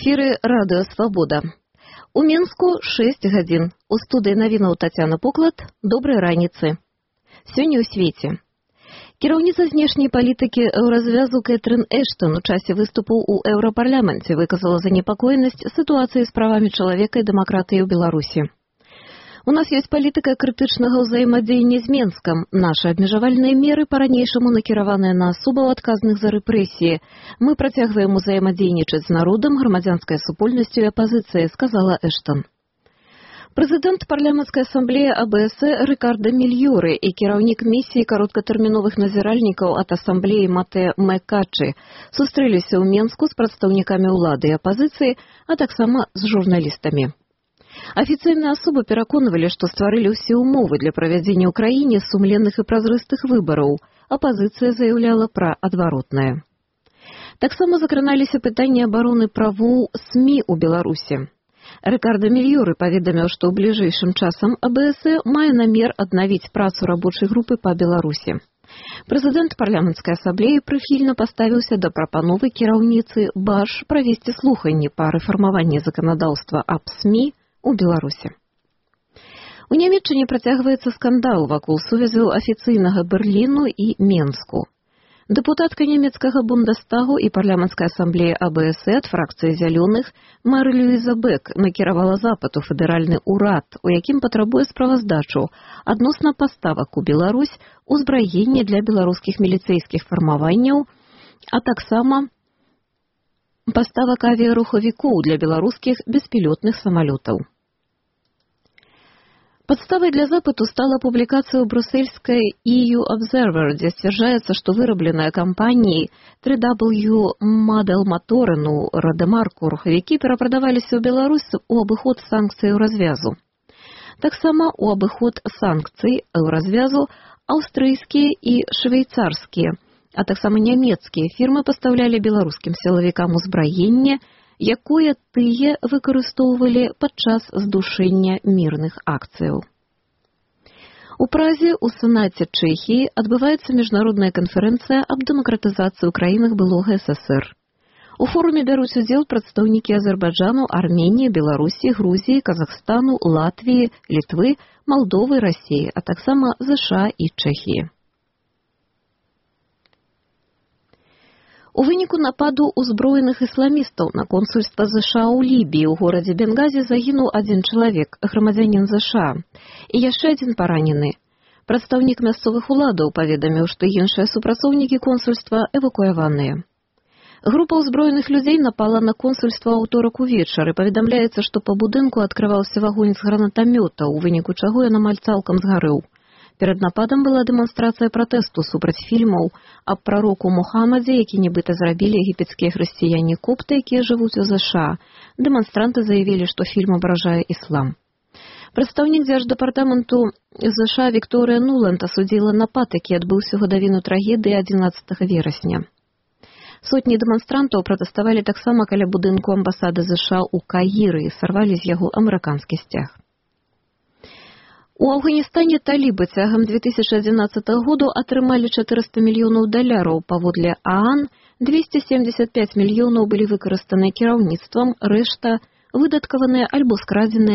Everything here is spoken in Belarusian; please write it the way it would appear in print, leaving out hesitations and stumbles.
эфіры Радыё Свабода. У Мінску 6 гадзін. У студыі навінаў Тацяна Поклад. Добрай раніцы. Сёння ў свеце. Кіраўніца знешняй палітыкі еўразвязу Кэтрин Эштон у часе выступу ў Еўрапарламенце выказала занепакоенасць сітуацыі з правамі чалавека і дэмакратыі ў Беларусі. У нас ёсць палітыка крытычнага ўзаемадзеяння з Менскам. Нашы абмежавальныя меры па-ранейшаму накіраваныя на асобаў адказных за рэпрэсіі. Мы працягваем узаемадзейнічаць з народам, грамадзянскай супольнасцю і апазіцыяй, сказала Эштон. Прэзідэнт парламенцкай асамблеі АБС Рикардо Мільёры і кіраўнік місіі кароткатэрміновых назіральнікаў ад асамблеі Матэ Мэкачы сустрэліся ў Менску з прадстаўнікамі ўлады і апазіцыі, а таксама з журналістамі. Афіцыйныя асобы пераконвалі, што стварылі ўсе ўмовы для правядзення ў краіне сумленных і празрыстых выбараў. Апазіцыя заяўляла пра адваротнае. Таксама закраналіся пытанні абароны правоў СМІ ў Беларусі. Рикардо Мільёры паведаміў, што ў бліжэйшым часам АБС мае намер аднавіць працу рабочай групы па Беларусі. Прэзідэнт парламенцкай асамблеі прыхільна паставіўся да прапановы кіраўніцы БАШ правесці слуханні па рэфармаванні заканадаўства аб СМІ у Беларусі. У Нямецчыне працягваецца скандал вакол сувязяў афіцыйнага Берліну і Менску. Дэпутатка нямецкага Бундестагу і парламенцкай асамблеі АБС ад фракцыі зялёных Мары-Люіза Бек накіравала запыт у федэральны ўрад, у якім патрабуе справаздачу адносна паставак у Беларусь, узбраення для беларускіх міліцэйскіх фармаванняў, а таксама паставак авіярухавікоў для беларускіх беспілётных самалётаў. Падставай для запыту стала публікацыя ў брусельскай EU Observer, дзе сцвярджаецца, што вырабленыя кампаніяй 3W Model Motoren у Радэмарку рухавікі перапрадаваліся ў Беларусь у абыход санкцый развязу. Таксама у абыход санкцый развязу аўстрыйскія і швейцарскія, а таксама нямецкія фірмы пастаўлялі беларускім сілавікам узбраенне, якое тыя выкарыстоўвалі падчас здушэння мірных акцыяў. У Празе ў Сенаце Чэхіі адбываецца міжнародная канферэнцыя аб дэмакратызацыі ў краінах былога ССР. У форуме бяруць удзел прадстаўнікі Азербайджану, Арменіі, Беларусі, Грузіі, Казахстану, Латвіі, Літвы, Малдовы, Расіі, а таксама ЗША і Чэхіі. У выніку нападу ўзброеных ісламістаў на консульства ЗША ў Лібіі ў горадзе Бенгазі загінуў адзін чалавек, грамадзянін ЗША, і яшчэ адзін паранены. Прадстаўнік мясцовых уладаў паведаміў, што іншыя супрацоўнікі консульства эвакуяваныя. Група ўзброеных людзей напала на консульства ў аўторак увечары. Паведамляецца, што па будынку адкрываўся вагонь з гранатамёта, у выніку чаго ён амаль цалкам згарэў. Перад нападам была дэманстрацыя пратэсту супраць фільмаў аб прароку Мухаммадзе, які нібыта зрабілі егіпецкія хрысціяне-копты, якія жывуць у ЗША. Дэманстранты заявілі, што фільм абражае іслам. Прадстаўнік дзярждэпартаменту ЗША Вікторыя Нуланд асудзіла напад, які адбыўся ў гадавіну трагедыі 11 верасня. Сотні дэманстрантаў пратэставалі таксама каля будынку амбасады ЗША ў Каіры і сарвалі з яго амерыканскі сцяг. У Афганістане талібы цягам 2011 году атрымалі $400 мільёнаў, паводле ААН 275 мільёнаў былі выкарыстаныя кіраўніцтвам, рэшта выдаткаваныя альбо скрадзеныя